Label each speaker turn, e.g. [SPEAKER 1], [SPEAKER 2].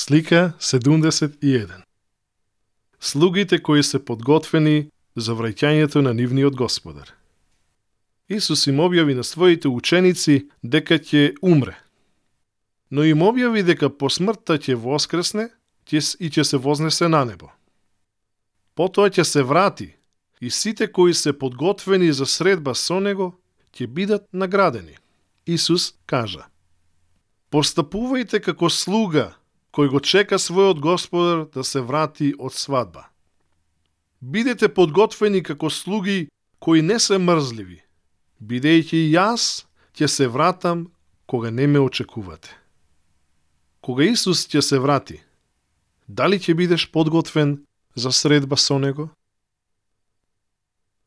[SPEAKER 1] Слика 71. Слугите кои се подготвени за враќањето на нивниот Господар. Исус им објави на своите ученици дека ќе умре. Но им објави дека по смртта ќе воскресне и ќе се вознесе на небо. Потоа ќе се врати и сите кои се подготвени за средба со него ќе бидат наградени. Исус кажа: Постапувајте како слуга кој го чека својот Господар да се врати од свадба. Бидете подготвени како слуги кои не се мрзливи, бидејќи јас ќе се вратам кога не ме очекувате. Кога Исус ќе се врати, дали ќе бидеш подготвен за средба со него?